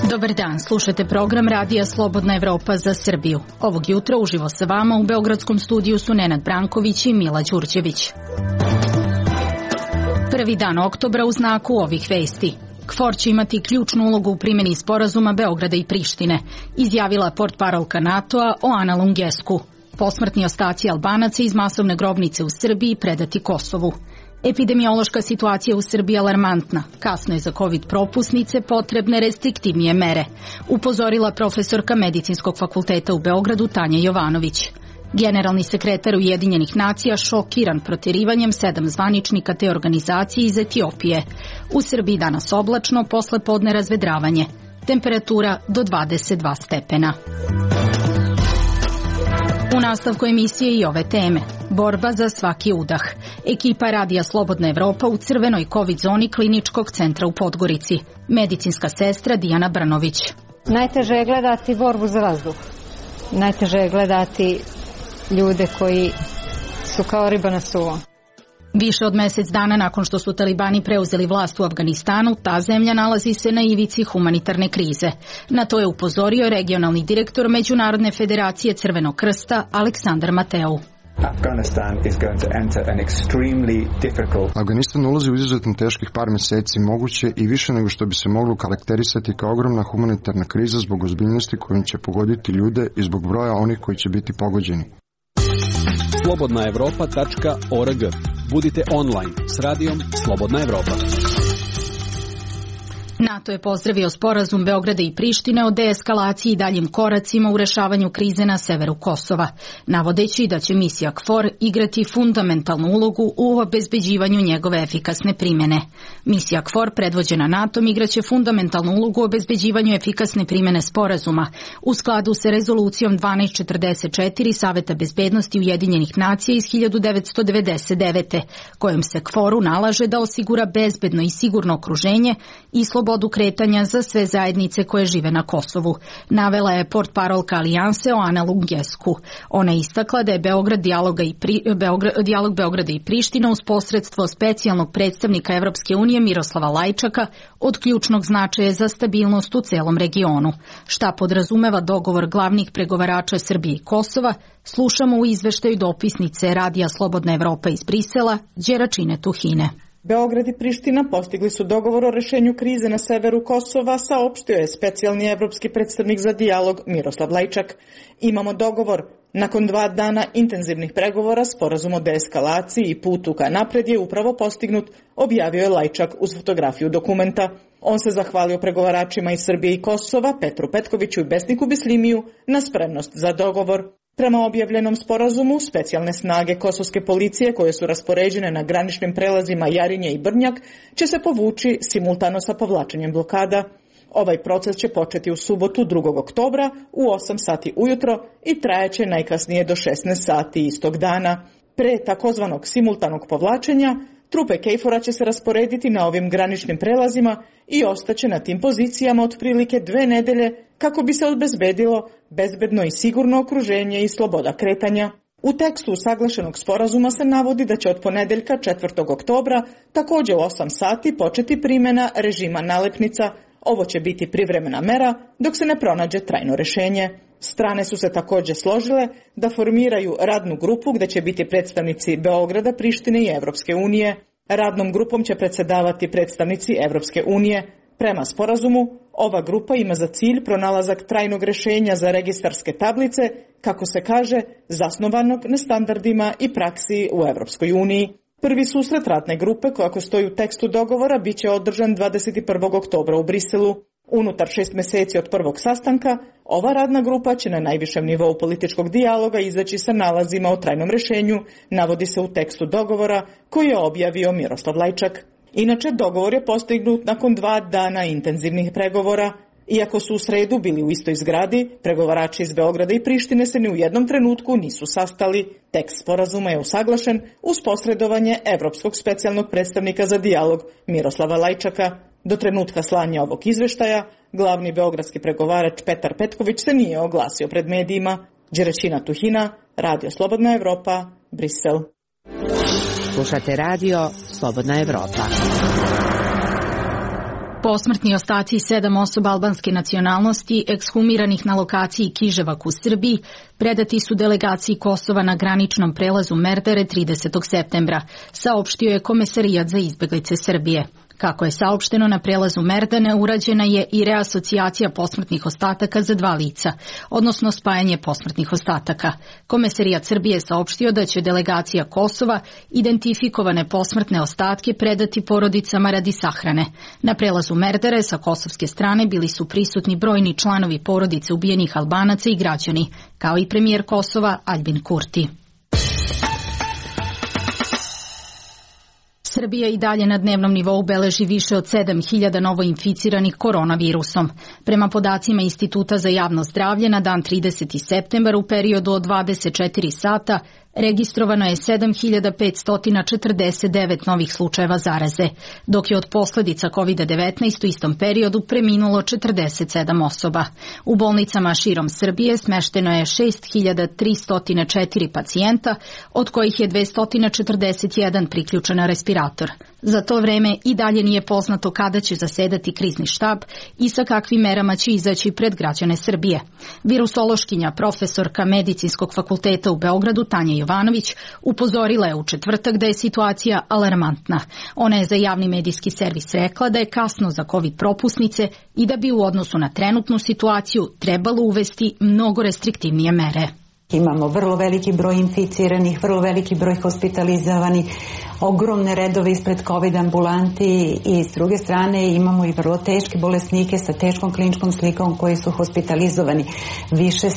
Dobar dan, slušate program Radija Slobodna Evropa za Srbiju. Ovog jutra uživo sa vama u beogradskom studiju su Nenad Branković i Mila Đurđević. Prvi dan oktobra u znaku ovih vesti. KFOR će imati ključnu ulogu u primjeni sporazuma Beograda i Prištine, izjavila portparolka NATO-a Oana Lungescu. Posmrtni ostaci Albanaca iz masovne grobnice u Srbiji predati Kosovu. Epidemiološka situacija u Srbiji je alarmantna. Kasno je za COVID propusnice potrebne restriktivnije mere, upozorila profesorka Medicinskog fakulteta u Beogradu Tanja Jovanović. Generalni sekretar Ujedinjenih nacija šokiran proterivanjem 7 zvaničnika te organizacije iz Etiopije. U Srbiji danas oblačno, posle podne razvedravanje. Temperatura do 22 stepena. U nastavku emisije i ove teme. Borba za svaki udah. Ekipa Radija Slobodna Evropa u crvenoj COVID zoni Kliničkog centra u Podgorici. Medicinska sestra Dijana Brnović. Najteže je gledati borbu za vazduh. Najteže je gledati ljude koji su kao riba na suvom. Više od mjesec dana nakon što su talibani preuzeli vlast u Afganistanu, ta zemlja nalazi se na ivici humanitarne krize. Na to je upozorio regionalni direktor Međunarodne federacije Crvenog krsta Aleksandar Mateu. Afganistan ulazi u izuzetno teških par mjeseci, moguće i više nego što bi se moglo karakterisati kao ogromna humanitarna kriza zbog ozbiljnosti kojom će pogoditi ljude i zbog broja onih koji će biti pogođeni. slobodnaevropa.org. Budite online s radijom Slobodna Evropa. NATO je pozdravio sporazum Beograda i Prištine o deeskalaciji i daljim koracima u rešavanju krize na severu Kosova, navodeći da će misija KFOR igrati fundamentalnu ulogu u obezbeđivanju njegove efikasne primjene. Misija KFOR, predvođena NATO-om, igraće fundamentalnu ulogu u obezbeđivanju efikasne primjene sporazuma u skladu sa rezolucijom 1244 Saveta bezbednosti Ujedinjenih nacija iz 1999. kojom se KFOR-u nalaže da osigura bezbedno i sigurno okruženje i slobodu kretanja za sve zajednice koje žive na Kosovu, navela je portparolka Alijanse Oana Lungescu. Ona je istakla da je dijalog Beograda i Prištine uz posredstvo specijalnog predstavnika Evropske unije Miroslava Lajčaka od ključnog značaja za stabilnost u celom regionu. Šta podrazumeva dogovor glavnih pregovarača Srbije i Kosova, slušamo u izveštaju dopisnice Radija Slobodna Evropa iz Brisela, Đeračine Tuhine. Beograd i Priština postigli su dogovor o rešenju krize na severu Kosova, saopštio je specijalni evropski predstavnik za dijalog Miroslav Lajčak. Imamo dogovor. Nakon 2 dana intenzivnih pregovora, sporazum o deeskalaciji i putu ka napred je upravo postignut, objavio je Lajčak uz fotografiju dokumenta. On se zahvalio pregovaračima iz Srbije i Kosova, Petru Petkoviću i Besniku Bislimiju, na spremnost za dogovor. Prema objavljenom sporazumu, specijalne snage kosovske policije koje su raspoređene na graničnim prelazima Jarinje i Brnjak će se povući simultano sa povlačenjem blokada. Ovaj proces će početi u subotu 2. oktobra u 8 sati ujutro i trajaće najkasnije do 16 sati istog dana. Pre takozvanog simultanog povlačenja, trupe KFOR-a će se rasporediti na ovim graničnim prelazima i ostaće na tim pozicijama otprilike 2 nedelje kako bi se obezbedilo bezbedno i sigurno okruženje i sloboda kretanja. U tekstu usaglašenog sporazuma se navodi da će od ponedeljka 4. oktobra također u 8 sati početi primjena režima nalepnica. Ovo će biti privremena mera dok se ne pronađe trajno rešenje. Strane su se također složile da formiraju radnu grupu gdje će biti predstavnici Beograda, Prištine i Evropske unije. Radnom grupom će predsjedavati predstavnici Evropske unije. Prema sporazumu, ova grupa ima za cilj pronalazak trajnog rešenja za registarske tablice, kako se kaže, zasnovanog na standardima i praksi u Evropskoj uniji. Prvi susret radne grupe, kako stoji u tekstu dogovora, bit će održan 21. oktobra u Briselu. Unutar 6 mjeseci od prvog sastanka, ova radna grupa će na najvišem nivou političkog dijaloga izaći sa nalazima o trajnom rešenju, navodi se u tekstu dogovora koji je objavio Miroslav Lajčak. Inače, dogovor je postignut nakon 2 dana intenzivnih pregovora. Iako su u sredu bili u istoj zgradi, pregovarači iz Beograda i Prištine se ni u jednom trenutku nisu sastali. Tekst sporazuma je usaglašen uz posredovanje Evropskog specijalnog predstavnika za dijalog Miroslava Lajčaka. Do trenutka slanja ovog izveštaja, glavni beogradski pregovarač Petar Petković se nije oglasio pred medijima. Đeračina Tuhina, Radio Slobodna Evropa, Brisel. Slušate radio Slobodna Evropa. Posmrtni ostaci 7 osoba albanske nacionalnosti, ekshumiranih na lokaciji Kiževak u Srbiji, predati su delegaciji Kosova na graničnom prelazu Merdare 30. septembra, saopštio je Komesarijat za izbeglice Srbije. Kako je saopšteno, na prelazu Merdane urađena je i reasocijacija posmrtnih ostataka za 2 lica, odnosno spajanje posmrtnih ostataka. Komesarijat Srbije saopštio da će delegacija Kosova identifikovane posmrtne ostatke predati porodicama radi sahrane. Na prelazu Merdare sa kosovske strane bili su prisutni brojni članovi porodice ubijenih Albanaca i građani, kao i premijer Kosova Aljbin Kurti. Srbija i dalje na dnevnom nivou beleži više od 7.000 novoinficiranih koronavirusom. Prema podacima Instituta za javno zdravlje, na dan 30. septembar u periodu od 24 sata registrovano je 7.549 novih slučajeva zaraze, dok je od posljedica COVID-19 u istom periodu preminulo 47 osoba. U bolnicama širom Srbije smešteno je 6.304 pacijenta, od kojih je 241 priključen na respirator. Za to vreme i dalje nije poznato kada će zasedati krizni štab i sa kakvim merama će izaći pred građane Srbije. Virusološkinja, profesorka Medicinskog fakulteta u Beogradu Tanja Jovanović upozorila je u četvrtak da je situacija alarmantna. Ona je za javni medijski servis rekla da je kasno za COVID propusnice i da bi u odnosu na trenutnu situaciju trebalo uvesti mnogo restriktivnije mere. Imamo vrlo veliki broj inficiranih, vrlo veliki broj hospitalizovanih, ogromne redove ispred COVID ambulanti i s druge strane imamo i vrlo teške bolesnike sa teškom kliničkom slikom koji su hospitalizovani. Više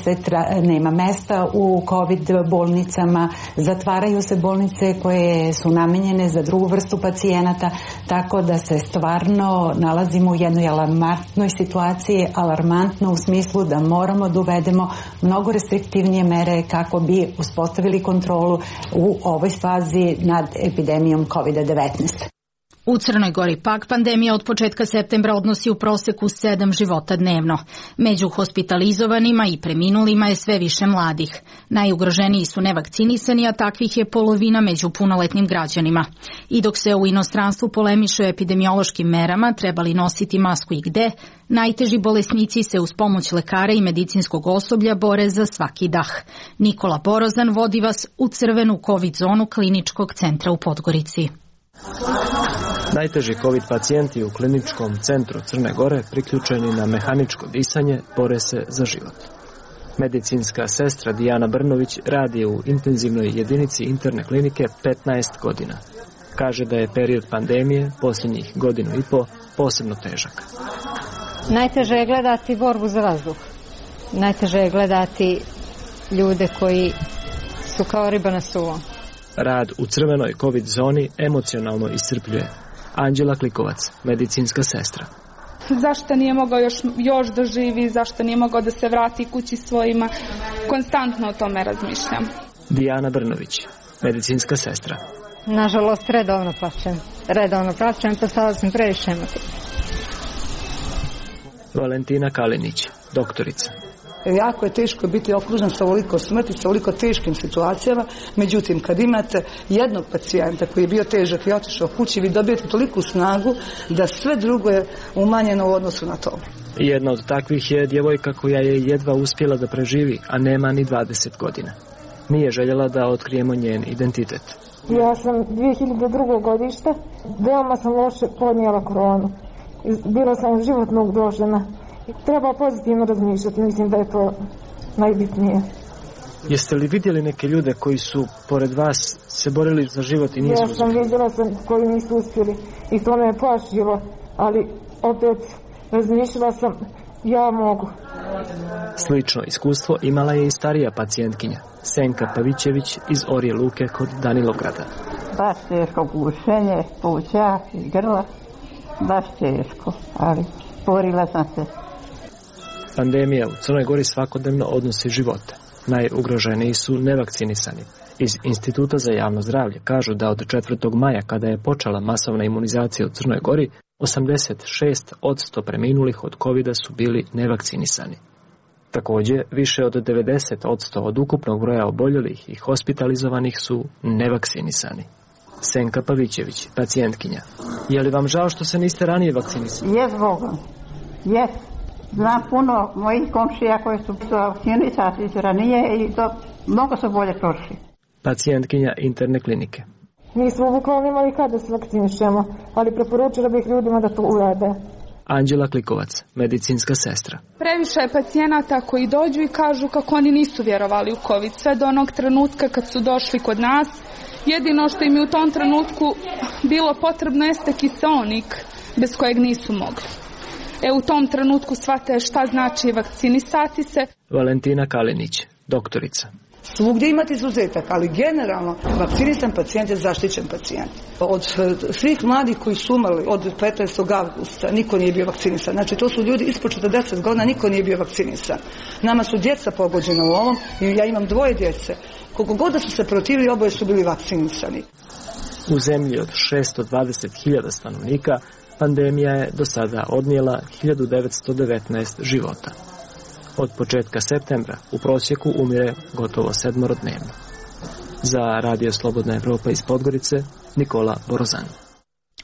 nema mesta u COVID bolnicama, zatvaraju se bolnice koje su namenjene za drugu vrstu pacijenata, tako da se stvarno nalazimo u jednoj alarmantnoj situaciji, alarmantno u smislu da moramo da uvedemo mnogo restriktivnije mere kako bi uspostavili kontrolu u ovoj fazi nad epidemijom COVID-19. U Crnoj Gori pak pandemija od početka septembra odnosi u proseku 7 života dnevno. Među hospitalizovanima i preminulima je sve više mladih. Najugroženiji su nevakcinisani, a takvih je polovina među punoletnim građanima. I dok se u inostranstvu polemiše o epidemiološkim merama, trebali nositi masku i gde, najteži bolesnici se uz pomoć lekara i medicinskog osoblja bore za svaki dah. Nikola Borozan vodi vas u crvenu COVID zonu Kliničkog centra u Podgorici. Najteži COVID pacijenti u Kliničkom centru Crne Gore, priključeni na mehaničko disanje, bore se za život. Medicinska sestra Dijana Brnović radi u intenzivnoj jedinici interne klinike 15 godina. Kaže da je period pandemije posljednjih godinu i po posebno težak. Najteže je gledati borbu za vazduh. Najteže je gledati ljude koji su kao riba na suvom. Rad u crvenoj COVID zoni emocionalno iscrpljuje. Anđela Klikovac, medicinska sestra. Zašto nije mogao još da živi, zašto nije mogao da se vrati kući svojima, konstantno o tome razmišljam. Dijana Brnović, medicinska sestra. Nažalost, redovno plačem, postala sam previše emotivna. Valentina Kalinić, doktorica. Jako je teško biti okružen sa ovoliko smrti, sa ovoliko teškim situacijama, međutim kad imate jednog pacijenta koji je bio težak i otišao kući, vi dobijete toliku snagu da sve drugo je umanjeno u odnosu na to. Jedna od takvih je djevojka koja je jedva uspjela da preživi, a nema ni 20 godina. Nije željela da otkrijemo njen identitet. Ja sam 2002. godište, veoma sam loše podnijela koronu. Bila sam životno ugrožena. Treba pozitivno razmišljati, mislim da je to najbitnije. Jeste li vidjeli neke ljude koji su pored vas se borili za život i nisu uspjeli? Ja sam vidjela koji nisu uspjeli i to me je plašilo, ali opet razmišljala sam, ja mogu. Slično iskustvo imala je i starija pacijentkinja, Senka Pavićević iz Orje Luke kod Danilograda. Baš teško gušenje, pluća i grla, baš teško, ali borila sam se. Pandemija u Crnoj Gori svakodnevno odnosi živote. Najugroženiji su nevakcinisani. Iz Instituta za javno zdravlje kažu da od 4. maja, kada je počela masovna imunizacija u Crnoj Gori, 86% preminulih od COVID-a su bili nevakcinisani. Takođe, više od 90% od ukupnog broja oboljelih i hospitalizovanih su nevakcinisani. Senka Pavićević, pacijentkinja. Je li vam žao što se niste ranije vakcinisali? Jes, Bogom. Jes. Znam puno mojih komšija koji su vakcinisani ranije i to mnogo su bolje prošli. Pacijentkinja interne klinike. Mi smo bukvalno imali kada se vakcinišemo, ali preporučila bih ljudima da to urade. Anđela Klikovac, medicinska sestra. Previše je pacijenata koji dođu i kažu kako oni nisu vjerovali u COVID, sve do onog trenutka kad su došli kod nas. Jedino što im je u tom trenutku bilo potrebno jeste kiseonik, bez kojeg nisu mogli. U tom trenutku shvate šta znači vakcinisati se. Valentina Kalinić, doktorica. Svugdje imate izuzetak, ali generalno vakcinisan pacijent je zaštićen pacijent. Od svih mladih koji su umrli od 15. avgusta niko nije bio vakcinisan. Znači to su ljudi ispod 40 godina, niko nije bio vakcinisan. Nama su djeca pogođena u ovom i ja imam 2 djece. Koliko god da su se protivili, oboje su bili vakcinisani. U zemlji od 620.000 stanovnika pandemija je do sada odnijela 1919 života. Od početka septembra u prosjeku umire gotovo 7 dnevno. Za Radio Slobodna Evropa iz Podgorice, Nikola Borozan.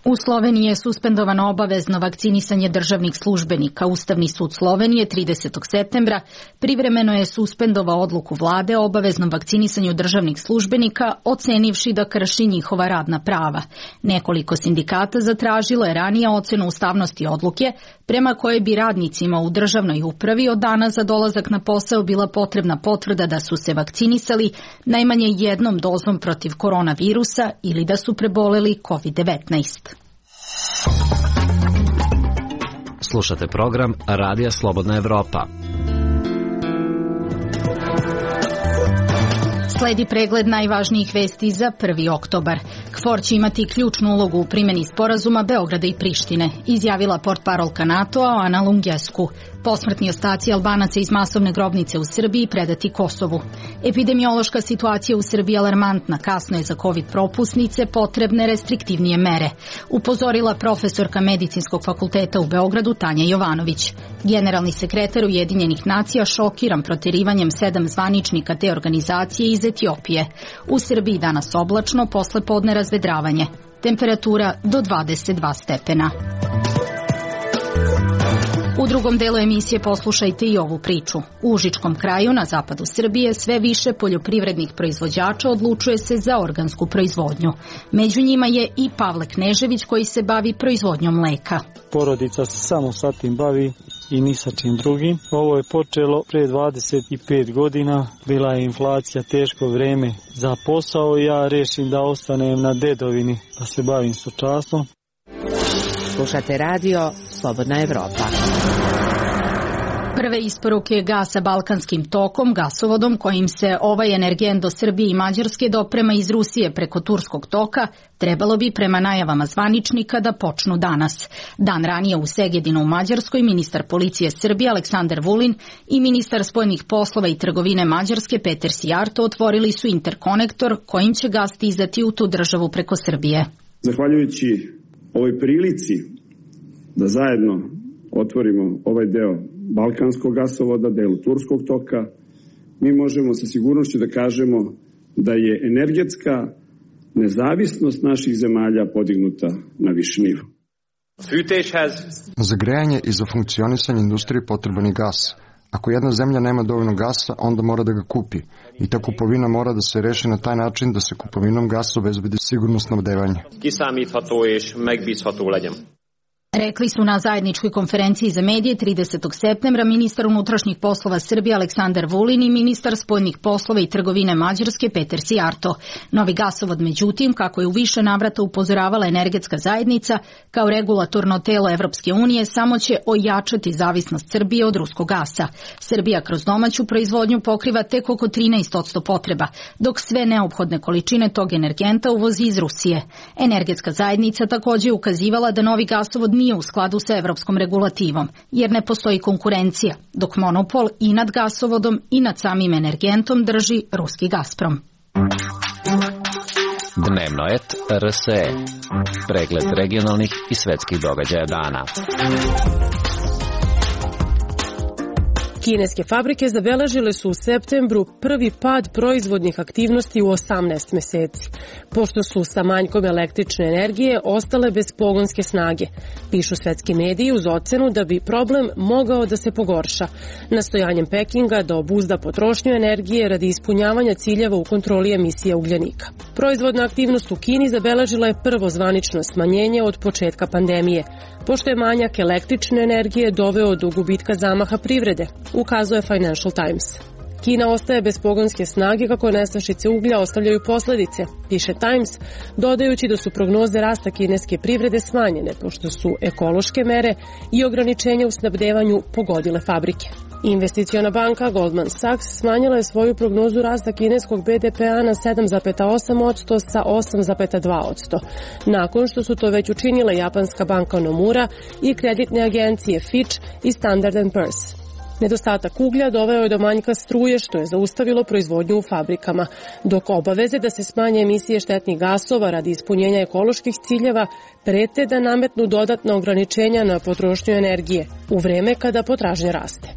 U Sloveniji je suspendovano obavezno vakcinisanje državnih službenika. Ustavni sud Slovenije 30. septembra privremeno je suspendovao odluku vlade o obaveznom vakcinisanju državnih službenika, ocenivši da krši njihova radna prava. Nekoliko sindikata zatražilo je ranije ocenu ustavnosti odluke, prema kojoj bi radnicima u državnoj upravi od dana za dolazak na posao bila potrebna potvrda da su se vakcinisali najmanje jednom dozom protiv koronavirusa ili da su preboleli COVID-19. Slušate program Radija Slobodna Evropa. Sledi pregled najvažnijih vesti za 1. oktobar. KFOR će imati ključnu ulogu u primjeni sporazuma Beograda i Prištine, izjavila portparolka NATO-a Ana Lungescu. Posmrtni ostaci Albanaca iz masovne grobnice u Srbiji predati Kosovu. Epidemiološka situacija u Srbiji alarmantna, kasno je za COVID propusnice potrebne restriktivnije mere, upozorila profesorka Medicinskog fakulteta u Beogradu Tanja Jovanović. Generalni sekretar Ujedinjenih nacija šokiran proterivanjem 7 zvaničnika te organizacije iz Etiopije. U Srbiji danas oblačno, posle podne razvedravanje. Temperatura do 22 stepena. U drugom delu emisije poslušajte i ovu priču. U Užičkom kraju na zapadu Srbije sve više poljoprivrednih proizvođača odlučuje se za organsku proizvodnju. Među njima je i Pavle Knežević koji se bavi proizvodnjom mleka. Porodica se samo sa tim bavi i ni sa čim drugim. Ovo je počelo pre 25 godina. Bila je inflacija, teško vreme za posao i ja rešim da ostanem na dedovini, da se bavim stočarstvom. Slušate radio Slobodna Evropa. Prve isporuke gasa Balkanskim tokom, gasovodom kojim se ovaj energent do Srbije i Mađarske doprema iz Rusije preko Turskog toka, trebalo bi prema najavama zvaničnika da počnu danas. Dan ranije u Segedinu u Mađarskoj ministar policije Srbije Aleksandar Vulin i ministar spoljnih poslova i trgovine Mađarske Peter Sijarto otvorili su interkonektor kojim će gas stizati u tu državu preko Srbije. Zahvaljujući ovoj prilici da zajedno otvorimo ovaj deo Balkanskog gasovoda, delu Turskog toka, mi možemo sa sigurnošću da kažemo da je energetska nezavisnost naših zemalja podignuta na viši nivo. Za grejanje i za funkcionisanje industrije potreban je gas. Ako jedna zemlja nema dovoljno gasa, onda mora da ga kupi. I ta kupovina mora da se reši na taj način da se kupovinom gasa obezbedi sigurno snabdevanje. Rekli su na zajedničkoj konferenciji za medije 30. septembra ministar unutrašnjih poslova Srbije Aleksandar Vulin i ministar spoljnih poslova i trgovine Mađarske Peter Sijarto. Novi gasovod, međutim, kako je u više navrata upozoravala energetska zajednica, kao regulatorno telo Evropske unije, samo će ojačati zavisnost Srbije od ruskog gasa. Srbija kroz domaću proizvodnju pokriva tek oko 13% potreba, dok sve neophodne količine tog energenta uvozi iz Rusije. Energetska zajednica također ukazivala da novi gasovod nije u skladu sa evropskom regulativom, jer ne postoji konkurencija, dok monopol i nad gasovodom i nad samim energentom drži ruski Gazprom. Dnevno et RSE. Pregled regionalnih i svetskih događaja dana. Kineske fabrike zabeležile su u septembru prvi pad proizvodnih aktivnosti u 18 meseci, pošto su sa manjkom električne energije ostale bez pogonske snage, pišu svetski mediji uz ocenu da bi problem mogao da se pogorša, nastojanjem Pekinga da obuzda potrošnju energije radi ispunjavanja ciljeva u kontroli emisija ugljenika. Proizvodna aktivnost u Kini zabeležila je prvo zvanično smanjenje od početka pandemije, pošto je manjak električne energije doveo do gubitka zamaha privrede, ukazuje Financial Times. Kina ostaje bez pogonske snage kako nestašice uglja ostavljaju posledice, piše Times, dodajući da su prognoze rasta kineske privrede smanjene, pošto su ekološke mere i ograničenja u snabdevanju pogodile fabrike. Investiciona banka Goldman Sachs smanjila je svoju prognozu rasta kineskog BDP-a na 7,8% sa 8,2%, nakon što su to već učinile japanska banka Nomura i kreditne agencije Fitch i Standard & Poor's. Nedostatak uglja doveo je do manjka struje, što je zaustavilo proizvodnju u fabrikama, dok obaveze da se smanje emisije štetnih gasova radi ispunjenja ekoloških ciljeva prete da nametnu dodatna ograničenja na potrošnju energije u vreme kada potražnja raste.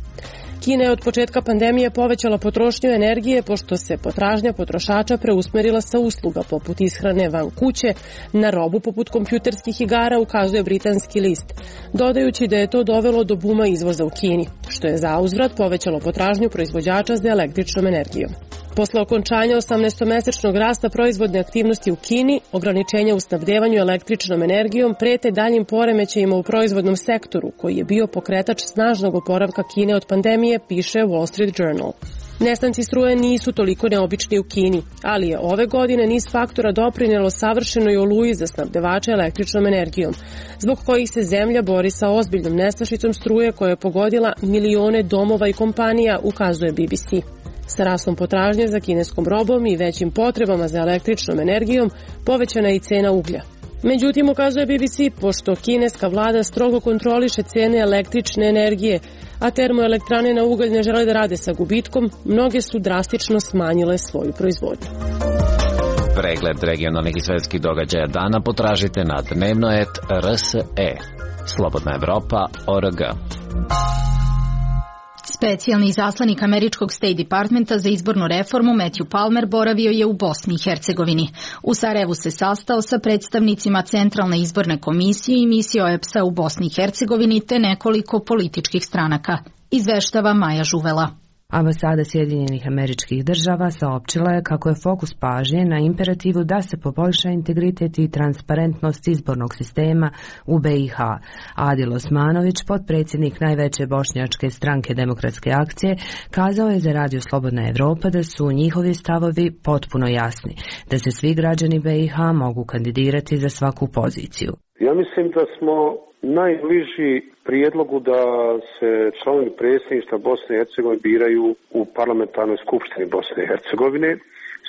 Kina je od početka pandemije povećala potrošnju energije pošto se potražnja potrošača preusmerila sa usluga poput ishrane van kuće na robu poput kompjuterskih igara, ukazuje britanski list, dodajući da je to dovelo do buma izvoza u Kini, što je zauzvrat povećalo potražnju proizvođača za električnom energijom. Posle okončanja 18-mesečnog rasta proizvodne aktivnosti u Kini, ograničenja u snabdevanju električnom energijom prete daljim poremećajima u proizvodnom sektoru, koji je bio pokretač snažnog oporavka Kine od pandemije, piše Wall Street Journal. Nestanci struje nisu toliko neobični u Kini, ali je ove godine niz faktora doprinelo savršenoj oluji za snabdevače električnom energijom, zbog kojih se zemlja bori sa ozbiljnom nestašicom struje koja je pogodila milione domova i kompanija, ukazuje BBC. Sa rastom potražnje za kineskom robom i većim potrebama za električnom energijom povećana je i cena uglja. Međutim, ukazuje BBC, pošto kineska vlada strogo kontroliše cene električne energije, a termoelektrane na ugalj ne žele da rade sa gubitkom, mnoge su drastično smanjile svoju proizvodnju. Pregled regionalnih i svetskih događaja dana potražite na dnevnoet.rse. Slobodna Evropa.org. Specijalni izaslanik američkog State Departmenta za izbornu reformu Matthew Palmer boravio je u Bosni i Hercegovini. U Sarajevu se sastao sa predstavnicima Centralne izborne komisije i misije OEBS-a u Bosni i Hercegovini te nekoliko političkih stranaka. Izveštava Maja Žuvela. Ambasada Sjedinjenih Američkih Država saopćila je kako je fokus pažnje na imperativu da se poboljša integritet i transparentnost izbornog sistema u BiH. Adil Osmanović, potpredsjednik najveće bošnjačke stranke Demokratske akcije, kazao je za Radio Slobodna Evropa da su njihovi stavovi potpuno jasni, da se svi građani BiH mogu kandidirati za svaku poziciju. Ja mislim da smo najbliži prijedlogu da se članovi predsjedništva Bosne i Hercegovine biraju u parlamentarnoj skupštini Bosne i Hercegovine,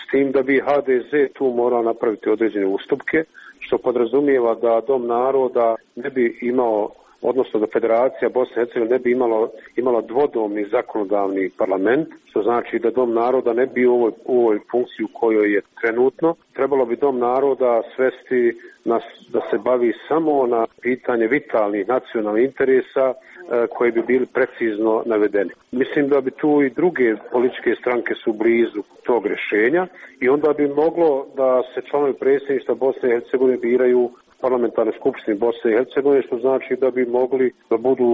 s tim da bi HDZ tu morao napraviti određene ustupke, što podrazumijeva da Dom naroda ne bi imao, odnosno da Federacija Bosne i Hercegovine ne bi imala dvodomni zakonodavni parlament, što znači da Dom naroda ne bi u ovoj funkciji u kojoj je trenutno. Trebalo bi Dom naroda svesti da se bavi samo na pitanje vitalnih nacionalnih interesa koji bi bili precizno navedeni. Mislim da bi tu i druge političke stranke su blizu tog rješenja i onda bi moglo da se članovi predsjedništva Bosne i Hercegovine biraju parlamentarnoj skupštini Bosne i Hercegovine, što znači da bi mogli da budu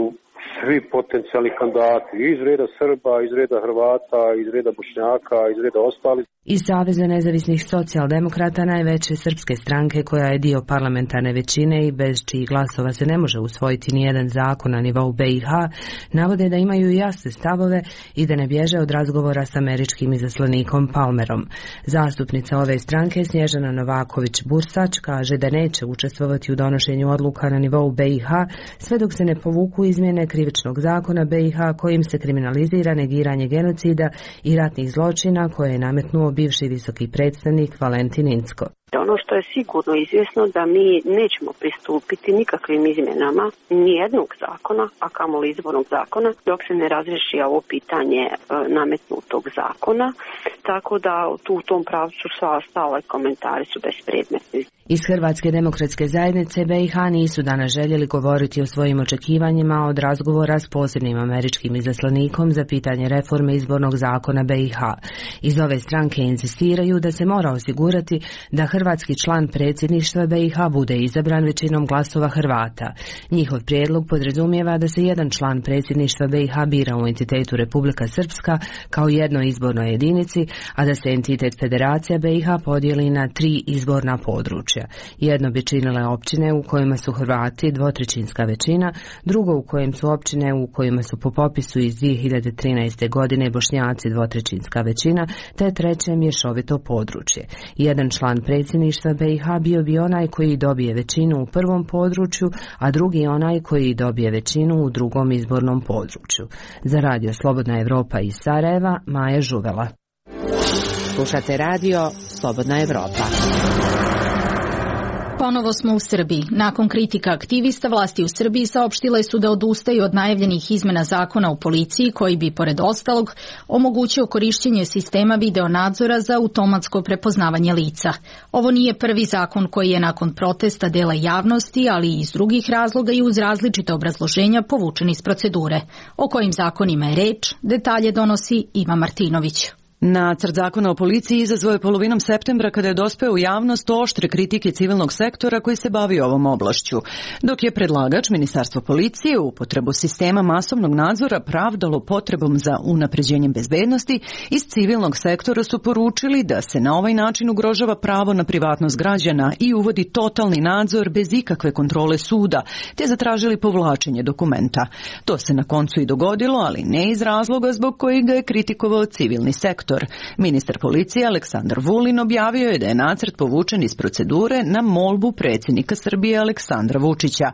svi potencijalni kandidati iz reda Srba, iz reda Hrvata, iz reda Bošnjaka, iz reda ostalih. Iz Saveza nezavisnih socijaldemokrata, najveće srpske stranke koja je dio parlamentarne većine i bez čijih glasova se ne može usvojiti nijedan zakon na nivou BiH, navode da imaju jasne stavove i da ne bježe od razgovora s američkim izaslanikom Palmerom. Zastupnica ove stranke Snježana Novaković-Bursać kaže da neće učestvovati u donošenju odluka na nivou BiH sve dok se ne povuku izmjene krivičnog zakona BiH kojim se kriminalizira negiranje genocida i ratnih zločina koje je nametnuo bivši visoki predstavnik Valentin Incko. Ono što je sigurno izvjesno da mi nećemo pristupiti nikakvim izmjenama nijednog zakona, a kamoli izbornog zakona, dok se ne razriješi ovo pitanje nametnutog zakona, tako da u tom pravcu sva ostale komentari su bespredmetni. Iz Hrvatske demokratske zajednice BiH nisu danas željeli govoriti o svojim očekivanjima od razgovora s posebnim američkim izaslanikom za pitanje reforme izbornog zakona BiH. Iz ove stranke insistiraju da se mora osigurati da hrvatski član predsjedništva BiH bude izabran većinom glasova Hrvata. Njihov prijedlog podrazumijeva da se jedan član predsjedništva BiH bira u entitetu Republika Srpska kao jednoj izbornoj jedinici, a da se entitet Federacija BiH podijeli na 3 izborna područja. Jedno bi činile općine u kojima su Hrvati, 2/3 većina, drugo u kojem su općine u kojima su po popisu iz 2013. godine Bošnjaci, 2/3 većina, te treće mješovito područje. Jedan član predsjedništva BiH bio bi onaj koji dobije većinu u prvom području, a drugi onaj koji dobije većinu u drugom izbornom području. Za Radio Slobodna Evropa iz Sarajeva, Maja Žuvela. Slušate radio Slobodna Evropa. Ponovo smo u Srbiji. Nakon kritika aktivista, vlasti u Srbiji saopštile su da odustaju od najavljenih izmena zakona u policiji koji bi, pored ostalog, omogućio korišćenje sistema videonadzora za automatsko prepoznavanje lica. Ovo nije prvi zakon koji je nakon protesta dela javnosti, ali i iz drugih razloga i uz različite obrazloženja povučen iz procedure. O kojim zakonima je reč, detalje donosi Iva Martinović. Nacrt zakona o policiji izazvao je polovinom septembra kada je dospeo u javnost oštre kritike civilnog sektora koji se bavi ovom oblašću, dok je predlagač Ministarstvo policije upotrebu sistema masovnog nadzora pravdalo potrebom za unapređenjem bezbednosti. Iz civilnog sektora su poručili da se na ovaj način ugrožava pravo na privatnost građana i uvodi totalni nadzor bez ikakve kontrole suda, te zatražili povlačenje dokumenta. To se na koncu i dogodilo, ali ne iz razloga zbog kojeg ga je kritikovao civilni sektor. Ministar policije Aleksandar Vulin objavio je da je nacrt povučen iz procedure na molbu predsjednika Srbije Aleksandra Vučića.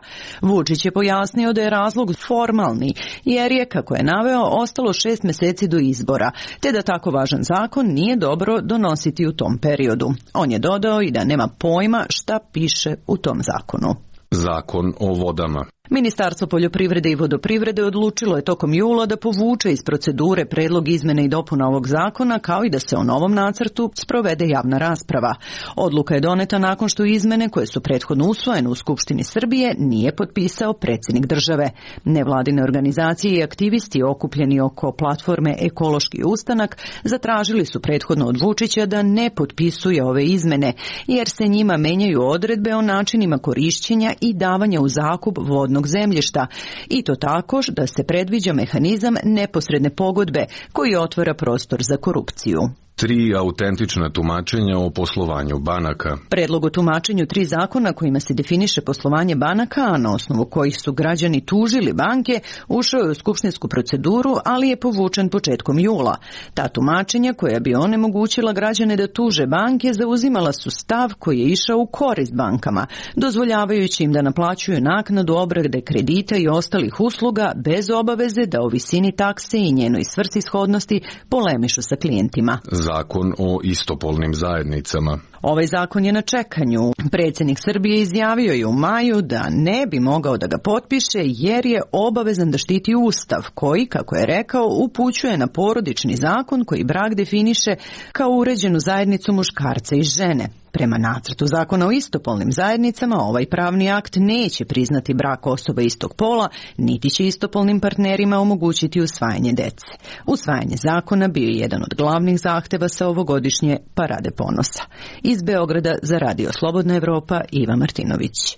Vučić je pojasnio da je razlog formalni, jer je, kako je naveo, ostalo 6 mjeseci do izbora, te da tako važan zakon nije dobro donositi u tom periodu. On je dodao i da nema pojma šta piše u tom zakonu. Zakon o vodama. Ministarstvo poljoprivrede i vodoprivrede odlučilo je tokom jula da povuče iz procedure predlog izmene i dopuna ovog zakona, kao i da se o novom nacrtu sprovede javna rasprava. Odluka je doneta nakon što izmene koje su prethodno usvojene u Skupštini Srbije nije potpisao predsjednik države. Nevladine organizacije i aktivisti okupljeni oko platforme Ekološki ustanak zatražili su prethodno od Vučića da ne potpisuje ove izmene, jer se njima menjaju odredbe o načinima korišćenja i davanja u zakup vodnog zemljišta, i to tako da se predviđa mehanizam neposredne pogodbe koji otvara prostor za korupciju. 3 autentična tumačenja o poslovanju banaka. Predlog o tumačenju 3 zakona kojima se definiše poslovanje banaka, a na osnovu kojih su građani tužili banke, ušao je u skupštinsku proceduru, ali je povučen početkom jula. Ta tumačenja, koja bi onemogućila građane da tuže banke, zauzimala su stav koji je išao u korist bankama, dozvoljavajući im da naplaćuju naknadu obrade kredita i ostalih usluga bez obaveze da o visini takse i njenoj svrsishodnosti polemišu sa klijentima. Zakon o istopolnim zajednicama. Ovaj zakon je na čekanju. Predsjednik Srbije izjavio je u maju da ne bi mogao da ga potpiše jer je obavezan da štiti Ustav koji, kako je rekao, upućuje na porodični zakon koji brak definiše kao uređenu zajednicu muškarca i žene. Prema nacrtu zakona o istopolnim zajednicama, ovaj pravni akt neće priznati brak osoba istog pola, niti će istopolnim partnerima omogućiti usvajanje dece. Usvajanje zakona bio je jedan od glavnih zahteva sa ovogodišnje Parade ponosa. Iz Beograda za Radio Slobodna Evropa, Iva Martinović.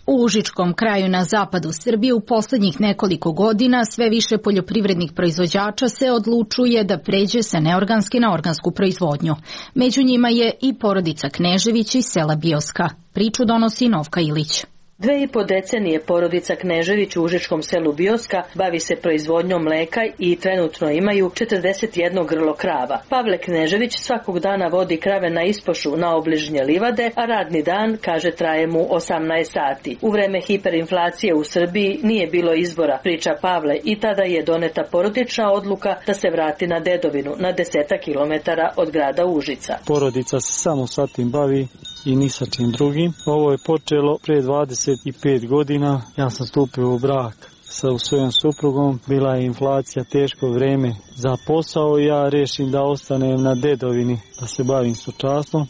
U Užičkom kraju na zapadu Srbije u posljednjih nekoliko godina sve više poljoprivrednih proizvođača se odlučuje da pređe sa neorganske na organsku proizvodnju. Među njima je i porodica Knežević iz sela Bioska. Priču donosi Novka Ilić. 2,5 decenije porodica Knežević u užičkom selu Bioska bavi se proizvodnjom mleka i trenutno imaju 41 grlo krava. Pavle Knežević svakog dana vodi krave na ispošu na obližnje livade, a radni dan, kaže, traje mu 18 sati. U vreme hiperinflacije u Srbiji nije bilo izbora, priča Pavle, i tada je doneta porodična odluka da se vrati na dedovinu, na 10 kilometara od grada Užica. Porodica se samo sa tim bavi i ni sa čim drugim. Ovo je počelo pre 25 godina. Ja sam stupio u brak sa svojom suprugom. Bila je inflacija, teško vreme za posao i ja rešim da ostanem na dedovini, da se bavim stočarstvom.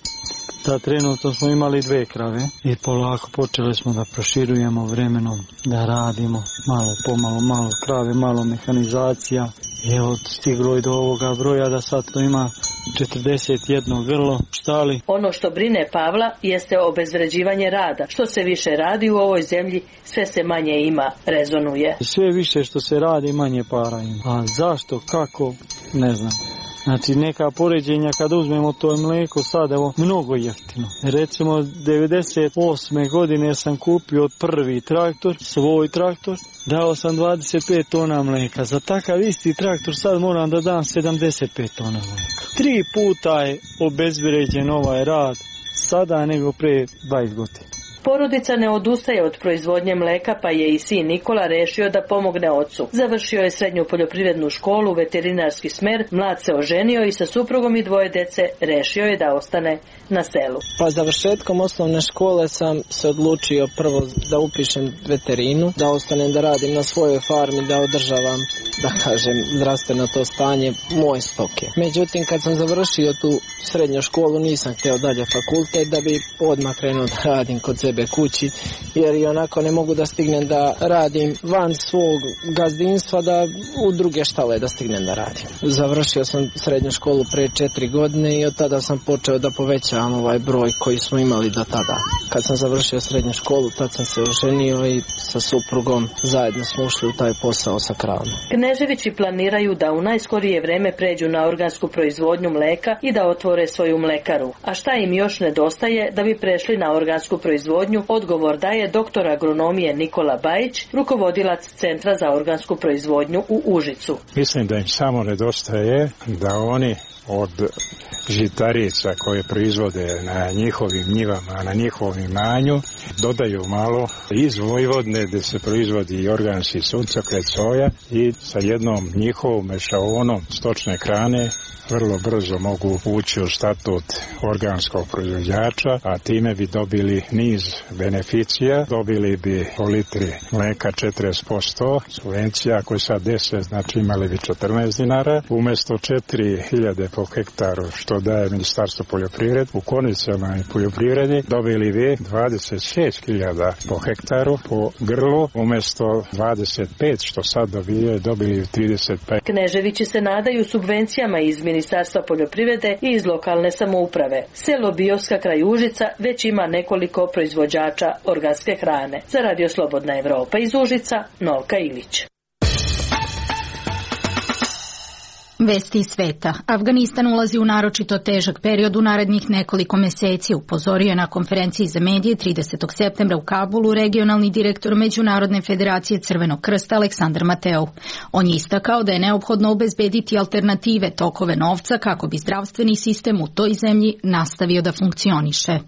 Da, trenutno smo imali 2 krave i polako počeli smo da proširujemo vremenom, da radimo malo pomalo, malo krave, malo mehanizacija. I evo, stiglo je do ovoga broja da sad to ima 41 grlo štali. Ono što brine Pavla jeste obezvređivanje rada. Što se više radi u ovoj zemlji, sve se manje ima, rezonuje. Sve više što se radi, manje para ima. A zašto, kako, ne znam. Znači, neka poređenja kad uzmemo to mlijeko sad, evo, mnogo jeftino. Recimo, 98. godine sam kupio prvi traktor, svoj traktor, dao sam 25 tona mlijeka. Za takav isti traktor sad moram da dam 75 tona mlijeka. 3 puta je obezvređen ovaj rad sada nego pre 20 godina. Porodica ne odustaje od proizvodnje mleka, pa je i sin Nikola rešio da pomogne ocu. Završio je srednju poljoprivrednu školu, veterinarski smer, mlad se oženio i sa suprugom i 2 dece rešio je da ostane na selu. Pa završetkom osnovne škole sam se odlučio prvo da upišem veterinu, da ostanem da radim na svojoj farmi, da održavam, da kažem, zdravstveno to stanje moje stoke. Međutim, kad sam završio tu srednju školu, nisam htio dalje fakultet da bi odmah krenuo da radim kod sebe kući, jer i onako ne mogu da stignem da radim van svog gazdinstva, da u druge štale da stignem da radim. Završio sam srednju školu pre 4 godine i od tada sam počeo da povećavam ovaj broj koji smo imali do tada. Kad sam završio srednju školu, tad sam se oženio i sa suprugom zajedno smo ušli u taj posao sa kravom. Kneževići planiraju da u najskorije vreme pređu na organsku proizvodnju mleka i da otvore svoju mlekaru. A šta im još nedostaje da bi prešli na organsku proizvodnju? Odgovor daje doktor agronomije Nikola Bajić, rukovodilac Centra za organsku proizvodnju u Užicu. Mislim da im samo nedostaje da oni od žitarica koje proizvode na njihovim njivama, na njihovom imanju, dodaju malo iz Vojvodne gde se proizvodi i organski suncokret, soja, i sa jednom njihovom mešaonom stočne hrane vrlo brzo mogu ući u statut organskog proizvođača, a time bi dobili niz beneficija, dobili bi po litri mleka 40%, subvencija koje sad 10, znači imali bi 14 dinara, umesto 4.000 po hektaru što daje Ministarstvo poljoprivrede, u konvencionalnoj poljoprivredi dobili bi 26.000 po hektaru po grlu, umesto 25 što sad dobili 35. Kneževići se nadaju subvencijama iz Ministarstva poljoprivrede i iz lokalne samouprave. Selo Bioska kraj Užica već ima nekoliko proizvođača organske hrane. Za Radio Slobodna Evropa iz Užica, Novka Ilić. Vesti iz sveta. Afganistan ulazi u naročito težak period u narednih nekoliko meseci, upozorio je na konferenciji za medije 30. septembra u Kabulu regionalni direktor Međunarodne federacije Crvenog krsta Aleksandar Mateu. On je istakao da je neophodno obezbediti alternative tokove novca kako bi zdravstveni sistem u toj zemlji nastavio da funkcioniše.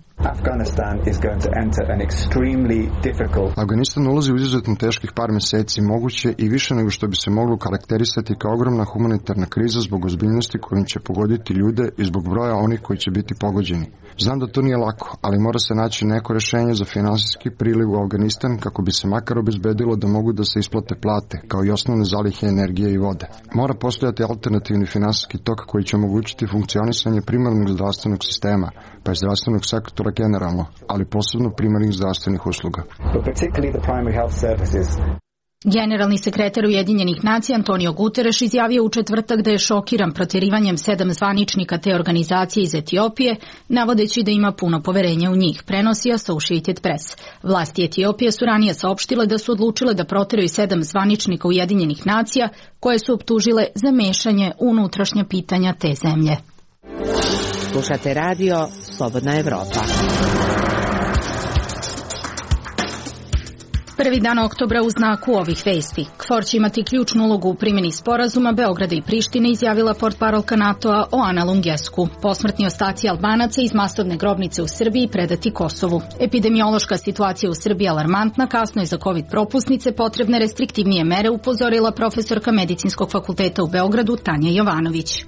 Afganistan ulazi u izuzetno teških par meseci, moguće i više nego što bi se moglo karakterisati kao ogromna humanitarna kriza zbog ozbiljnosti kojim će pogoditi ljude i zbog broja onih koji će biti pogođeni. Znam da to nije lako, ali mora se naći neko rešenje za finansijski priliv u Afganistan kako bi se makar obezbedilo da mogu da se isplate plate, kao i osnovne zalihe energije i vode. Mora postojati alternativni finansijski tok koji će omogućiti funkcionisanje primarnog zdravstvenog sistema, pa i zdravstvenog sektora generalno, ali posebno primarnih zdravstvenih usluga. Generalni sekretar Ujedinjenih nacija Antonio Guterres izjavio u četvrtak da je šokiran proterivanjem 7 zvaničnika te organizacije iz Etiopije, navodeći da ima puno poverenja u njih, prenosi Associated Press. Vlasti Etiopije su ranije saopštile da su odlučile da proteraju 7 zvaničnika Ujedinjenih nacija koje su optužile za mešanje u unutrašnja pitanja te zemlje. Slušate radio Slobodna Evropa. Prvi dan oktobra u znaku ovih vesti. KFOR će imati ključnu ulogu u primjeni sporazuma Beograda i Prištine, izjavila portparolka NATO-a Oana Lungescu. Posmrtni ostaci Albanaca iz masovne grobnice u Srbiji predati Kosovu. Epidemiološka situacija u Srbiji alarmantna, kasno je za COVID propusnice potrebne restriktivnije mere, upozorila profesorka Medicinskog fakulteta u Beogradu Tanja Jovanović.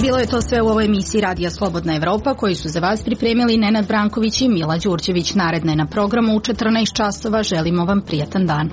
Bilo je to sve u ovoj emisiji Radija Slobodna Evropa, koji su za vas pripremili Nenad Branković i Mila Đurđević. Naredna je na programu u 14 časova. Želimo vam prijatan dan.